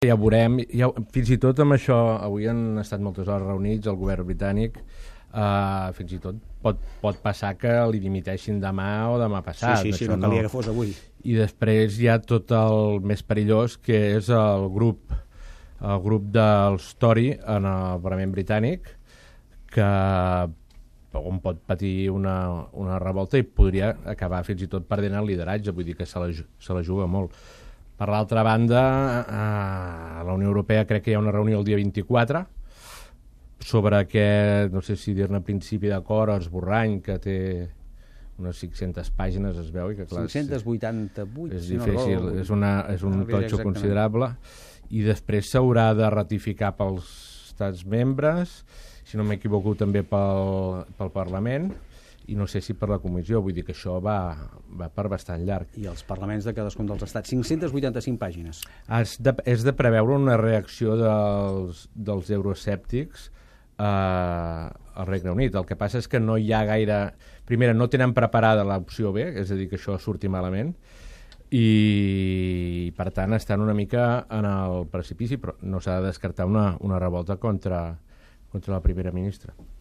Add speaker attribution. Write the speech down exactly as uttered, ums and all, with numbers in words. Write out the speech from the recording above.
Speaker 1: Ja veurem, ja, fins i tot amb això, avui han estat moltes hores reunits, el govern britànic, uh, fins i tot pot, pot passar que li dimiteixin demà o demà passat.
Speaker 2: Sí, sí, sí, no calia que fos avui.
Speaker 1: I després hi ha tot el més perillós, que és el grup, el grup dels Tory en el Parlament britànic, que on pot patir una, una revolta i podria acabar fins i tot perdent el lideratge, vull dir que se la, se la juga molt. Per l'altra banda, a la Unió Europea crec que hi ha una reunió el dia vint-i-quatre sobre aquest, no sé si dir-ne principi d'acord o esborrany, que té unes cinc-centes pàgines, es veu. I que, clar,
Speaker 2: cinc-centes vuitanta-vuit.
Speaker 1: És difícil, no, és, una, és un no totxo considerable. I després s'haurà de ratificar pels estats membres, si no m'equivoco també pel, pel Parlament, i no sé si per la comissió, vull dir que això va, va per bastant llarg.
Speaker 2: I els parlaments de cadascun dels estats, cinc-centes vuitanta-cinc pàgines.
Speaker 1: És de, és de preveure una reacció dels, dels euroescèptics eh, al Regne Unit. El que passa és que no hi ha gaire... Primera, no tenen preparada l'opció B, és a dir, que això surti malament, i per tant estan una mica en el precipici, però no s'ha de descartar una, una revolta contra, contra la primera ministra.